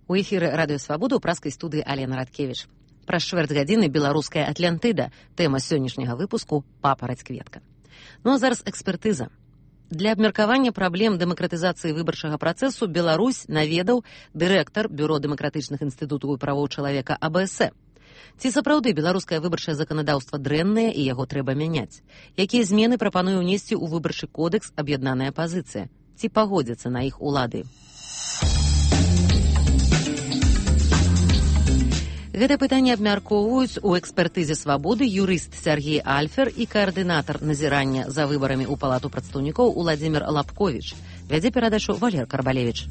У эфіры радыёвабода ў праскай студыі Алена Радкевіч. Праз чвэрць гадзіны беларуская Атлантыда, тэма сённяшняга выпуску «Папараць кветка». Ну а зараз экспертыза. Для абмеркавання праблем дэмакратызацыі выбарчага працэсу Беларусь наведаў дырэктар Бюро дэмакратычных інстытутаў і правоў чалавека АБС. Ці сапраўды беларускае выбарчае заканадаўства дрэннае і яго трэба мяняць? Якія змены прапануе ўнесці ў выбарчы кодэкс аб'яднаная апазіцыя? Ці пагодзяцца на іх улады? Гэта пытанне абмяркоўваюць у экспертызе «Свабоды» юрыст Сергей Альфер і каардынатар назірання за выбарамі ў Палату прадстаўнікоў Уладзімір Лапковіч. Вядзе перадачу Валер Карбалевіч.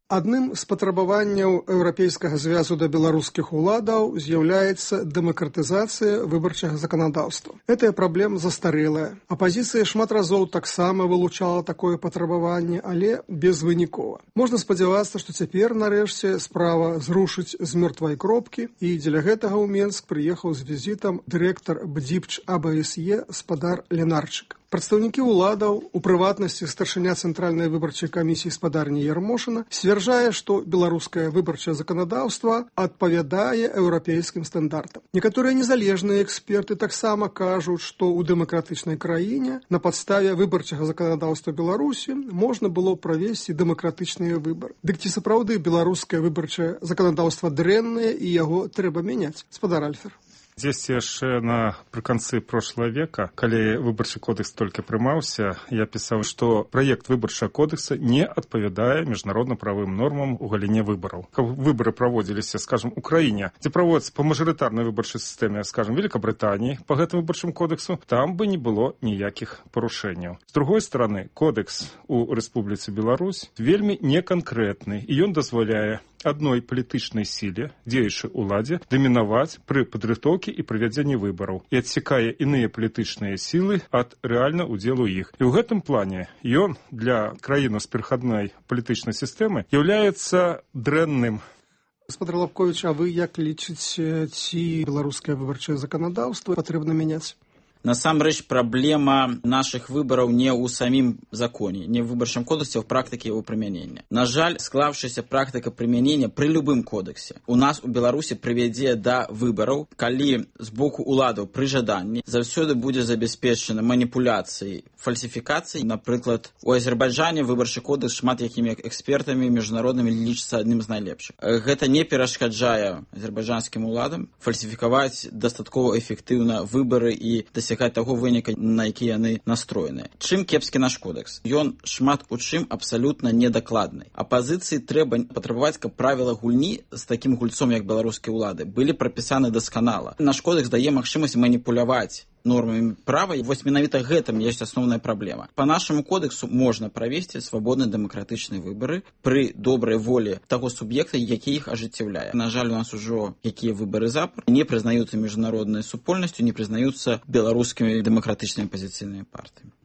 Адным з патрабаванняў Еўрапейскага звязу да беларускіх уладаў з'яўляецца дэмакратызацыя выбарчага заканадаўства. Гэтая праблема застарэлая. Апазіцыя шмат разоў таксама вылучала такое патрабаванне, але безвынікова. Можна спадзявацца, што цяпер, нарэшце, справа зрушыць з мёртвай кропкі, і дзеля гэтага ў Менск прыехаў з візітам дырэктар БДЗІПЧ АБСЕ спадар Ленарчык. Прадстаўнікі ўладаў, у прыватнасці старшыня Цэнтральнай выбарчай камісіі спадарні Ярмошына, сцвярджае, што беларускае выбарчае заканадаўства адпавядае еўрапейскім стандартам. Некаторыя незалежныя эксперты таксама кажуць, што ў дэмакратычнай краіне на падставе выбарчага заканадаўства Беларусі можна было правесці дэмакратычныя выбары. Дык ці сапраўды беларускае выбарчае заканадаўства дрэннае і яго трэба мяняць? Спадар Альфер. Здесь яшчэ напрыканцы прошлого века, калі выбарчы кодекс толькі прымаўся, я пісаў, што праект выбарчага кодекса не адпавядае міжнародна-правым нормам у галіне выбараў. Каб выбары праводзіліся, скажем, у краіне, дзе праводзяцца па мажарытарнай выбарчай сістэме, скажем, Великабрытаніі, па гэтым выбарчым кодексу, там бы не было ніякіх парушэнняў. З другой стороны, кодекс у Рэспубліцы Беларусь вельмі неканкрэтны, і ён дазваляе адной палітычнай сіле, дзеючай уладзе, дамінаваць пры падрыхтоўкі і правядзенні выбараў і адсякае іныя палітычныя сілы ад рэальна ўдзелу іх. І ў гэтым плане ён для краіны з перахадной палітычнай сістэмы з'яўляецца дрэнным. Спадар Лапковіч, а вы як лічыце, ці беларускае выбарчае заканадаўства патрэбна мяняць? Насамрэч, праблема нашых выбараў не ў самім законе, не ў выбарчым кодексе, а ў практыке яго прымянення. На жаль, склаўшаяся практыка прымянення пры любым кодексе у нас у Беларусі прывядзе да выбараў, калі з боку уладаў пры жаданні заўсёды будзе забяспечана маніпуляцыяй, фальсіфікацыяй. Напрыклад, у Азербайджане выбарчы кодекс шмат якімі экспертамі міжнароднымі лічыцца адным з найлепшых. Гэта не перашкаджае азербайджанскім уладам фальсіфікаваць дастаткова эфектыўна выбары і дасягаць таго выніка, на які яны настроеныя. Чым кепскі наш кодекс? Ён шмат у чым абсалютна недакладны. Апазіцыі трэба патрабаваць, каб правіла гульні з такім гульцом, як беларускія ўлады, былі прапісаны дасканала. Наш кодекс дае магчымасць маніпуляваць нормамі права, і вось менавіта гэтым ёсць асноўная праблема. Па нашаму кодексу можна правесці свабодныя дэмакратычныя выбары пры добрай волі таго суб'екта, які іх ажыццяўляе. На жаль, у нас ужо якія выбары запар не прызнаюцца міжнароднай супольнасцю, не прызнаюцца беларускімі дэмакратычнымі апазіцыйнымі партыямі.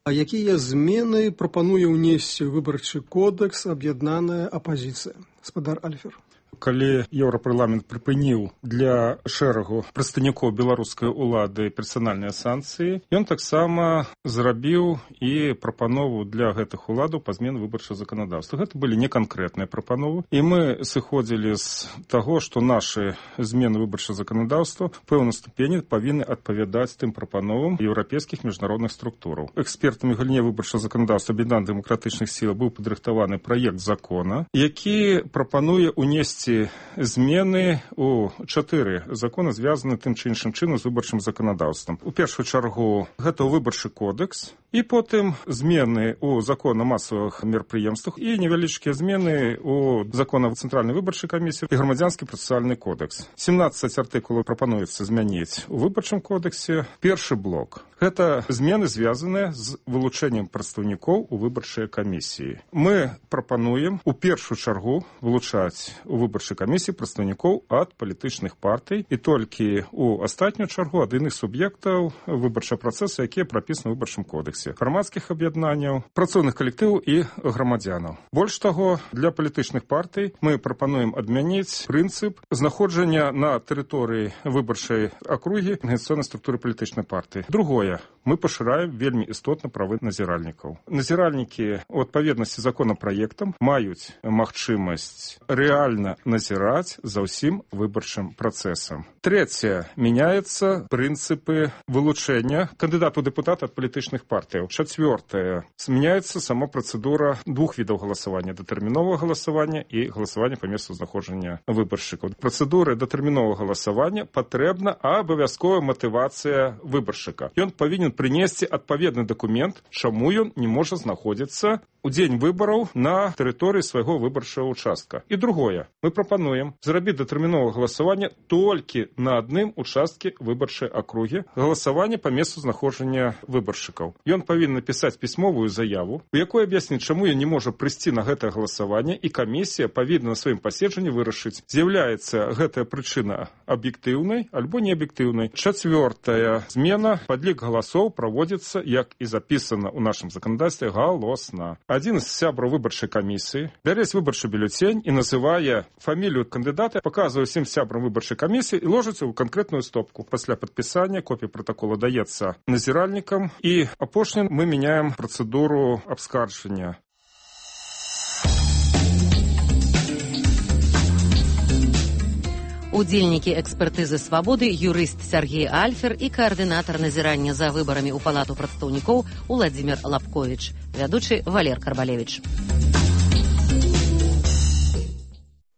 А якія змены прапануе ўнесці выбарчы кодекс аб'яднаная апазіцыя? Спадар Альфер. Калі Еўрапарламент прыпыніў для шэрагу прадстаўнікоў беларускай улады персанальныя санкцыі, ён таксама зрабіў і прапанову для гэтых уладаў па змене выбарчага заканадаўства. Гэта былі неканкрэтныя прапановы, і мы сыходзілі з таго, што нашы змены выбарчага заканадаўства ў пэўнай ступені павінны адпавядаць тым прапановам еўрапейскіх міжнародных структураў. Экспертамі галіне выбарчага заканадаўства аб'яднаных дэмакратычных сіл быў падрыхтаваны праект закона, які прапануе ўнесці змены у 4 законы, звязаны тым ці іншым чынам з выбарчым заканадаўствам. У першую чаргу гэта выбарчы кодекс, і потым змены ў закон о масавых мерапрыемствах і невялічкія змены ў закон о Цэнтральнай выбарчай камісіі і грамадзянскі працэсуальны кодекс. 17 артыкулаў прапануецца змяніць у выбарчым кодексе. Першы блок – гэта змены, звязаныя з вылучэннем прадстаўнікоў у выбарчай камісіі. Мы прапануем у першую чаргу вылучаць у выбарчай выбарчай камісіі прадстаўнікоў ад палітычных партый і толькі у астатнюю чаргу ад іных суб'ектаў выбарчага працэсу, якія прапісаны ў выбарчым кодексе, грамадскіх аб'яднанняў, працоўных калектываў і грамадзянаў. Больш таго, для палітычных партый мы прапануем адмяніць прынцып знаходжання на тэрыторыі выбарчай акругі арганізацыйнай структуры палітычнай партыі. Другое, мы пашыраем вельмі істотна правы назіральнікаў. Назіральнікі у адпаведнасці з законапраектам маюць магчымасць рэальна назіраць за ўсім выбарчым працэсам. Трэцяе, мяняецца прынцыпы вылучэння кандыдату дэпутата ад палітычных партыяў. Чацвёртае, змяняецца сама працэдура двух відаў галасавання: датэрміновага галасавання і галасавання па месцу знаходжання выбаршчыкаў. Працэдуры датэрміновага галасавання патрэбна абавязковая матывацыя выбаршчыка. Ён павінен прынесці адпаведны дакумент, чаму ён не можа знаходзіцца у дзень выбараў на тэрыторыі свайго выбарчага участка. І другое, мы прапануем зрабіць датэрміновае галасаванне толькі на адным участкі выбарчай акругі, галасаванне па месцу знаходжання выбаршчыкаў. Ён павінен напісаць пісьмовую заяву, у якой аб'ясніць, чаму ён не можа прыйсці на гэтае галасаванне, і камісія павінна на сваім паседжанні вырашыць, з'яўляецца гэтая прычына аб'ектыўнай альбо неаб'ектыўнай. Чацвёртая змена, падлік галасоў праводзіцца, як і запісана ў нашым заканадаўстве, галосна. Адзін з сябраў выбарчай камісіі бярэць выбарчы бюлетень і называе фамілію кандыдата, паказвае ўсім сябрам выбарчай камісіі і ложыцца ў канкрэтную стопку. Пасля падпісання копія пратакола даецца назіральнікам, і апошнім мы мяняем працэдуру абскарджання. Удзельнікі экспертызы «Свабоды» юрыст Сергей Альфер і каардынатар назірання за выбарамі ў палату прадстаўнікоў Уладзімір Лапковіч, вядучы Валер Карбалевіч.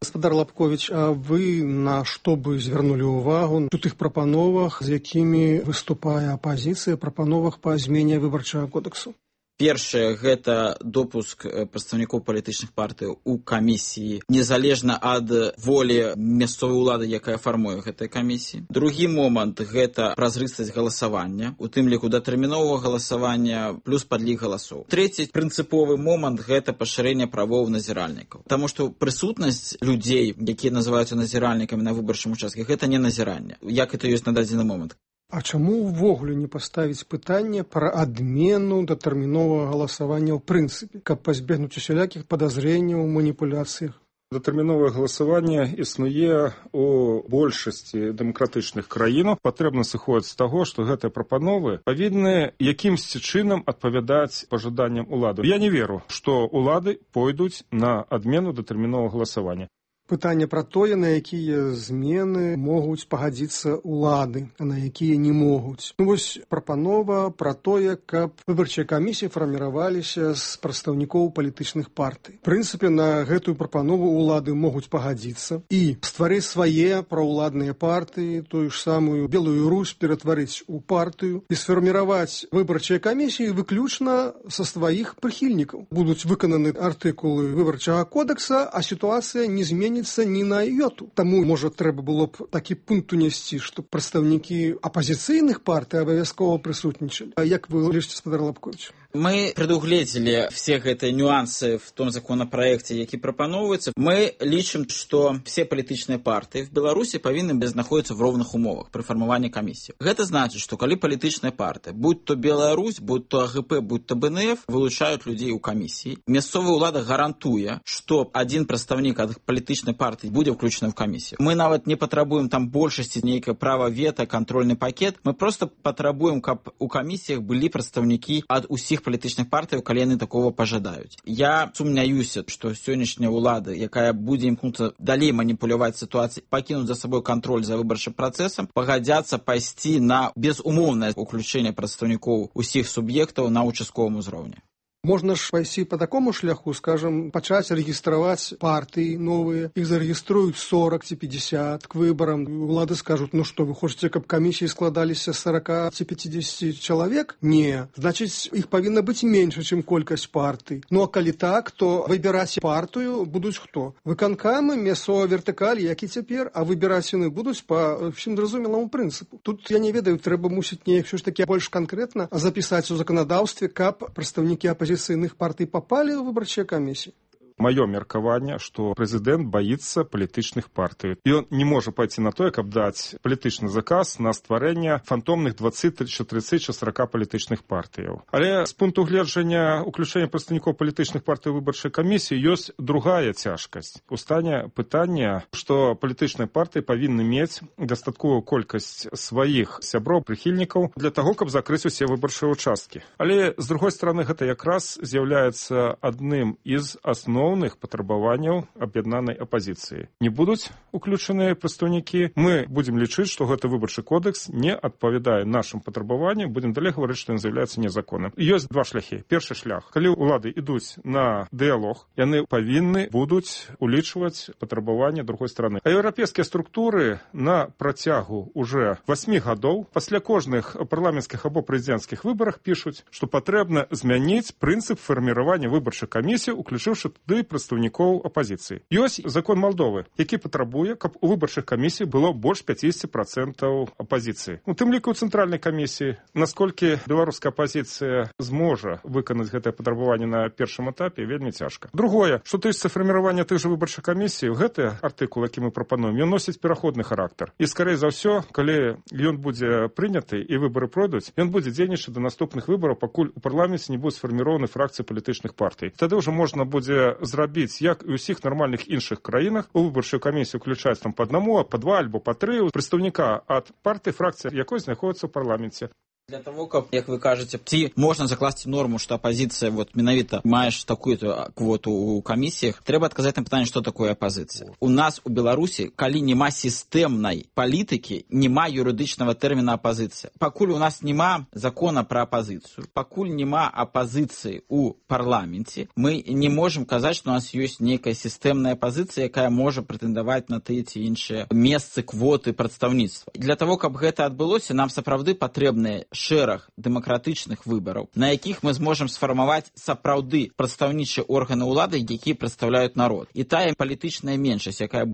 Гаспадар Лапковіч, а вы на што бы звярнулі ўвагу у тых прапановах, з якімі выступае апазіцыя, прапановах па змене выбарчага кодексу? Першае, гэта допуск прадстаўнікоў палітычных партый у камісіі, незалежна ад волі мясцовай улады, якая фармуе гэтыя камісіі. Другі момант, гэта празрыстасць галасавання, у тым ліку датэрміновага галасавання плюс падлік галасоў. Трэці прынцыповы момант, гэта пашырэнне правоў назіральнікаў. Таму што прысутнасць людзей, якія называюцца назіральнікамі на выбарчым участке, гэта не назіранне, як это ёсць на дадзены момант. А чаму ўвогуле не паставіць пытанне пра адмену датэрміновага галасавання ў прынцыпе, каб пазбегнуць усялякіх падазрэнняў у маніпуляцыях? Датэрміновае галасаванне існуе у большасці дэмакратычных краінаў. Патрэбна сыходзіць з таго, што гэтыя прапановы павінны якімсьці чынам адпавядаць пажаданням улады. Я не веру, што улады пойдуць на адмену датэрміновага галасавання. Пытанне пра тое, на якія змены могуць пагадзіцца ўлады, а на якія не могуць. Вось прапанова пра тое, каб выбарчыя камісіі фарміраваліся з прадстаўнікоў палітычных партый. В прынцыпе, на гэтую прапанову ўлады могуць пагадзіцца і стварыць свае праўладныя партыі, тую ж самую Белую Русь ператварыць у партыю і сфарміраваць выбарчыя камісіі выключна са сваіх прыхільнікаў. Будуць выкананы артыкулы выбарчага кодекса, а сітуацыя не зменіцца ні на йоту. Таму, можа, трэба было б такі пункт унесці, што прадстаўнікі апазіцыйных партый абавязкова прысутнічалі. А як вы лічыце, гаспадар Лапковіч? Мы предугледзелі все гэтыя нюансы в том законопроекте, які прапановывается. Мы лічым, что все палітычныя партии в Беларуси павінны знаходзіцца в роўных умовах при формировании комиссии. Гэта значит, что калі палітычная партия, будь то Беларусь, будь то АГП, будь то БНФ, вылучают людей у комиссии, мясцовая ўлада гарантуе, что один прадстаўнік ад палітычнай партии будзе включен в комиссию. Мы нават не патрабуем там большасці нейкае права вето, контрольный пакет. Мы просто патрабуем, каб у комиссиях былі прадстаўнікі ад усіх палітычных партый, калі яны такого пажадаюць. Я сумняюся, што сённяшняя ўлада, якая будзе імкнуцца далей маніпуляваць сітуацыяй, пакінуць за сабой кантроль за выбарчым працэсам, пагадзяцца пайсці на безумоўнае ўключэнне прадстаўнікоў усіх суб'ектаў на участковым узроўні. Можна ж пайсці по такому шляху, скажем, пачаць рэгістраваць партыі новыя, іх зарэгіструюць 40 ці 50 к выбарам. Улады скажуць, ну што, вы хочаце, каб камісіі складаліся 40 ці 50 чалавек? Не. Значыць, іх павінна быць менш, чым колькасць партый. Ну а калі так, то выбіраць партыю будуць хто? Выканкамы, мясцовая вертыкаль, як і цяпер, а выбіраць яны будуць па всім зразумеламу прынцыпу. Тут, я не ведаю, трэба мусіць неяк ўсё ж такі больш канкрэтна запісаць у заканадаўстве, каб прадстаўнікі апазіцыйных партый попали в выборчие комиссии? маё меркаванне, што прэзідэнт баіцца палітычных партый. Ён не можа пайти на тое, каб даць палітычны заказ на стварэнне фантомных 20, 30 чи 40 палітычных партыяў. Але з пункту гледжання уключэння прадстаўнікоў палітычных партый выбарчай камісіі ёсць другая цяжкасць. Устане пытання, што палітычныя партыі павінны мець дастатковую колькасць сваіх сяброў, прыхільнікаў для таго, каб закрыць усе выбарчыя участкі. Але, з другой стороны, гэта якраз з'яўляецца адным з асноўных патрабаванняў аб'яднанай апазіцыі. Не будуць уключаныя прадстаўнікі, мы будзем лічыць, што гэты выбарчы кодекс не адпавядае нашым патрабаванням, будзем далей гаварыць, што ён з'яўляецца незаконным. Ёсць два шляхі. Першы шлях. Калі ўлады ідуць на дыялог, яны павінны будуць улічваць патрабаванні другой стороны. А еўрапейскія структуры на працягу уже 8 гадоў пасля кожных парламенцкіх або прэзідэнцкіх выбарах пішуць, што патрэбна змяніць прынцып фарміравання выбарчай камісіі, уключыўшы туды прадстаўнікоў апазіцыі. Ёсць закон Малдовы, які патрабуе, каб у выбарчых камісій было больш 50% апазіцыі. У тым ліку ў цэнтральнай камісіі, насколькі беларуская апазіцыя зможа выканаць гэтае патрабаванне на першым этапе, вельмі цяжка. Другое, што тычыцца фарміравання тых жа выбарчых камісій, гэты артыкул, які мы прапануем, ён носіць пераходны характар. І скарэй за ўсё, калі ён будзе прыняты і выбары пройдуць, ён будзе дзейнічаць да наступных выбараў, пакуль у парламенце не будуць сфарміраваны фракцыі палітычных партый. Тады ўжо можна будзе зрабіць, як і ў усіх нармальных іншых краінах, у выбарчую камісію уключаць там па аднаму, па два альбо па тры прадстаўніка ад партыі, фракцыі, якой знаходзіцца ў парламенце. Для того, каб, як вы кажаце, ці можна закласці норму, што апазіцыя менавіта маеш такую-то квоту ў камісіях, трэба адказаць на пытанне, што такое апазіцыя. У нас у Беларусі, калі няма сістэмнай палітыкі, няма юрыдычнага тэрміна апазіцыя. Пакуль у нас няма закона пра апазіцыю, пакуль няма апазіцыі ў парламенце, мы не можам казаць, што у нас ёсць нейкая сістэмная апазіцыя, якая можа прэтэндаваць на тыя ці іншыя месцы, квоты прадстаўніцтва. Для того, каб гэта адбылося, нам сапраўды патрэбныя шэраг дэмакратычных выбараў, на якіх мы зможам сфармаваць сапраўды прадстаўнічыя органы ўлады, якія прадстаўляюць народ. І тая палітычная меншасць, якая